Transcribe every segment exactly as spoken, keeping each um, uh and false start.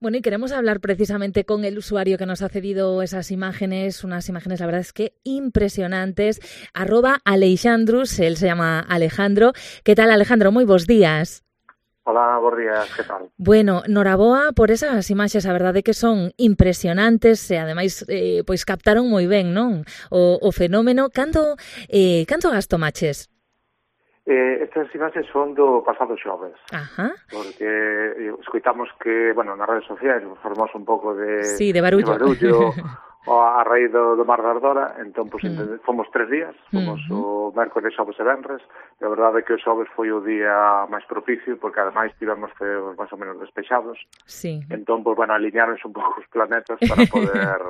Bueno, y queremos hablar precisamente con el usuario que nos ha cedido esas imágenes, unas imágenes, la verdad es que impresionantes. Arroba Aleixandrus, él se llama Alejandro. ¿Qué tal, Alejandro? Moi bons días. Hola, bons días, que tal? Bueno, noraboa por esas imaxes, a verdade que son impresionantes e ademais eh, pois captaron moi ben, non? O, o fenómeno. Canto, eh, canto gasto maches? Eh, estas imaxes son do pasado xoves. Ajá. Porque eh, escoitamos que, bueno, nas redes sociais formos un pouco de, sí, de barullo, de barullo a raíz do, do Mar da Ardora, entón, pues, mm. fomos tres días, fomos uh-huh. o mércoles, xoves e venres, e a verdade é que o xoves foi o día máis propicio, porque ademais tivemos feos máis ou menos despexados, sí. entón, pues, bueno, alinearonse un pouco os planetas para poder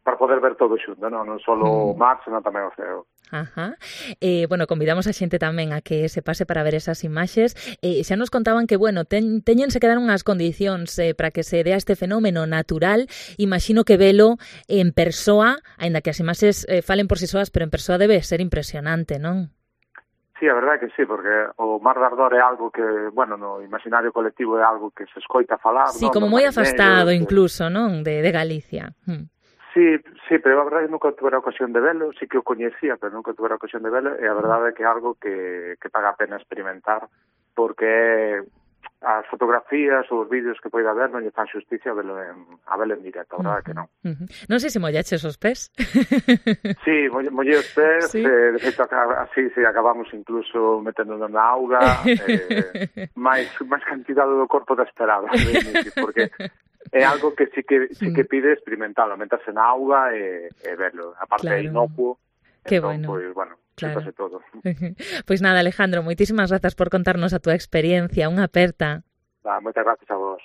para poder ver todo xunto, non, non só o mar, senón tamén o ceo. Ajá. Eh, bueno, convidamos a xente tamén a que se pase para ver esas imaxes. Eh, xa nos contaban que, bueno, ten, teñense que dar unhas condicións eh, para que se dea este fenómeno natural. Imagino que velo en persoa, aínda que as imaxes eh, falen por si soas, pero en persoa debe ser impresionante, non? Sí, a verdade que sí, porque o Mar da Ardor é algo que, bueno, no imaginario colectivo é algo que se escoita falar, sí, non? como moi afastado incluso, non? De, de Galicia. Hmm. Sí, sí, pero a verdade nunca tuve a ocasión de velo, sí que o coñecía, pero nunca tuve a ocasión de velo, e a verdade é que é algo que, que paga a pena experimentar, porque as fotografías ou os vídeos que poida ver non lle fan xusticia a velo en, a velo en directo, a verdade uh-huh. que non. Uh-huh. Non sei se mollaches os pés. Sí, mollei os pés, ¿sí? eh, de feito, así, sí, acabamos incluso meténdonos na auga, eh, máis, máis cantidade do corpo da esperada, porque é algo que sí que sí que pide experimentalo, meterse na auga e, e verlo. A parte claro. É inocuo, que entón, bueno. Pues, bueno, claro. Xúntase todo. Pois pues nada, Alejandro, moitísimas grazas por contarnos a túa experiencia. Unha aperta. Va, moitas grazas a vos.